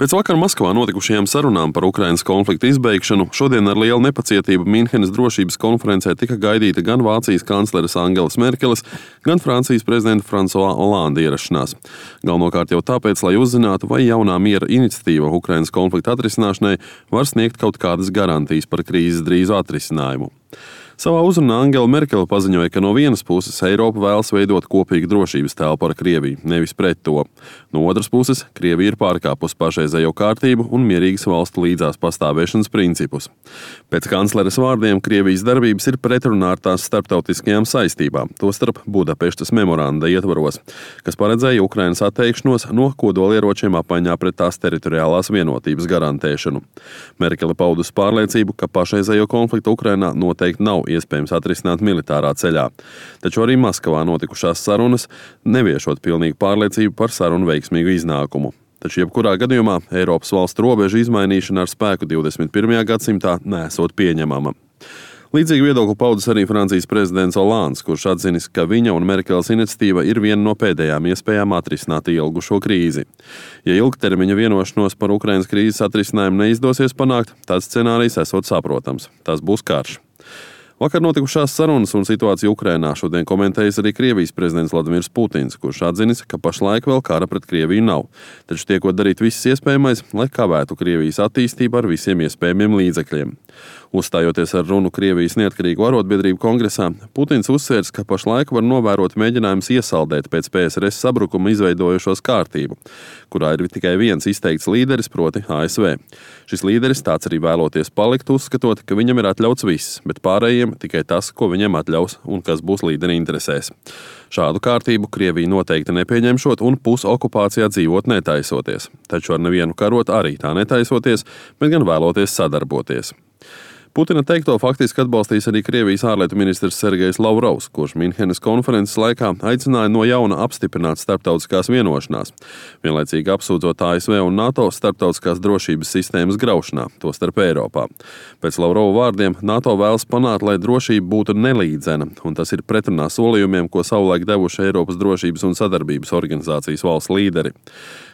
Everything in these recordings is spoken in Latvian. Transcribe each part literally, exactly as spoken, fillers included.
Pēc vakar Maskavā notikušajām sarunām par Ukrainas konflikta izbeigšanu šodien ar lielu nepacietību Mīnhenes drošības konferencē tika gaidīta gan Vācijas kancleres Angelas Merkeles, gan Francijas prezidenta Fransuā Olanda ierašanās. Galvenokārt jau tāpēc, lai uzzinātu, vai jaunā miera iniciatīva Ukrainas konflikta atrisināšanai var sniegt kaut kādas garantijas par krīzes drīzu atrisinājumu. Savā uzrunā Angela Merkele paziņoja, ka no vienas puses Eiropa vēlas veidot kopīgu drošības telpu ar Krieviju, nevis pret to. No otras puses, Krievija ir pārkāpusi pašreizējo kārtību un mierīgas valstu līdzās pastāvēšanas principus. Pēc kancleres vārdiem Krievijas darbības ir pretrunā ar tās starptautiskajām saistībām, tostarp Budapeštas memoranda ietvaros, kas paredzēja Ukrainas atteikšanos no kodolieročiem apmaiņā pret tās teritoriālās vienotības garantēšanu. Merkele paudus pārliecību, ka pašreizējo konfliktu Ukrainā noteikti nav iespējams atrisināt militārā ceļā. Taču arī Maskavā notikušās sarunas neviešot pilnīgu pārliecību par sarunu veiksmīgu iznākumu. Taču jebkurā gadījumā Eiropas valstu robežu izmainīšana ar spēku divdesmit pirmajā gadsimtā nesot pieņemama. Līdzīgi viedokli paudis arī Francijas prezidents Olands, kurš atzinis, ka viņa un Merkeles iniciatīva ir viena no pēdējām iespējām atrisināt ilgušo krīzi. Ja ilgtermiņa vienošanos par Ukrainas krīzes atrisinājumu neizdosies panākt, tāds scenārijs esot saprotams. Tas būs karš. Vakar notikušās sarunas un situāciju Ukrainā šodien komentējis arī Krievijas prezidents Vladimirs Putins, kurš atzinis, ka pašlaik vēl kara pret Krieviju nav, taču tiekot darīt viss iespējamais, lai kavētu Krievijas attīstību ar visiem iespējamiem līdzekļiem. Uzstājoties ar runu Krievijas neatkarīgo arotbiedrību kongresā, Putins uzsvērs, ka pašlaik var novērot mēģinājums iesaldēt pēc P S R S sabrukuma izveidojušos kārtību, kurā ir tikai viens izteikts līderis, proti A S V. Šis līderis tāds arī vēloties palikt, uzskatot, ka viņam ir atļauts viss, bet pārējiem tikai tas, ko viņam atļaus un kas būs līderi interesēs. Šādu kārtību Krievija noteikti nepieņemšot un pusokupācijā dzīvot netaisoties, taču ar nevienu karot arī tā netaisoties, bet gan vēloties sadarboties. Putina teikto faktiski atbalstīs arī Krievijas ārlietu ministrs Sergejs Lavrovs, kurš Mīnhenes konferences laikā aicināja no jauna apstiprināt starptautiskās vienošanās, vienlaicīgi apsūdzot A S V un NATO starptautiskās drošības sistēmas graušanā, tostarp Eiropā. Pēc Lavrova vārdiem NATO vēlas panākt, lai drošība būtu nelīdzena, un tas ir pretrunā solījumiem, ko savulaik devuši Eiropas drošības un sadarbības organizācijas valsts līderi.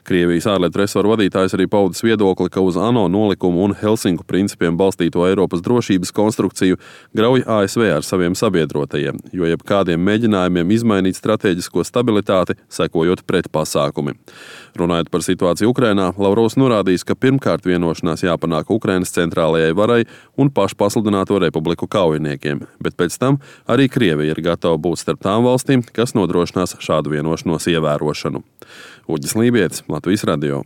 Krievijas ārlietu resoru vadītājs arī paudis viedokli, ka uz ANO nolikumu un Helsinku principiem balstīto Eiropas drošības konstrukciju grauj A S V ar saviem sabiedrotajiem, jo jebkādiem mēģinājumiem izmainīt stratēģisko stabilitāti, sekojot pretpasākumi. Runājot par situāciju Ukrainā, Lavrovs norādījis, ka pirmkārt vienošanās jāpanāk Ukrainas centrālajai varai un pašpasludināto republiku kaujiniekiem, bet pēc tam arī Krievija ir gatava būt starp tām valstīm, kas nodrošinās šādu vienošanos ievērošanu. Uģis Lībietis, Latvijas radio.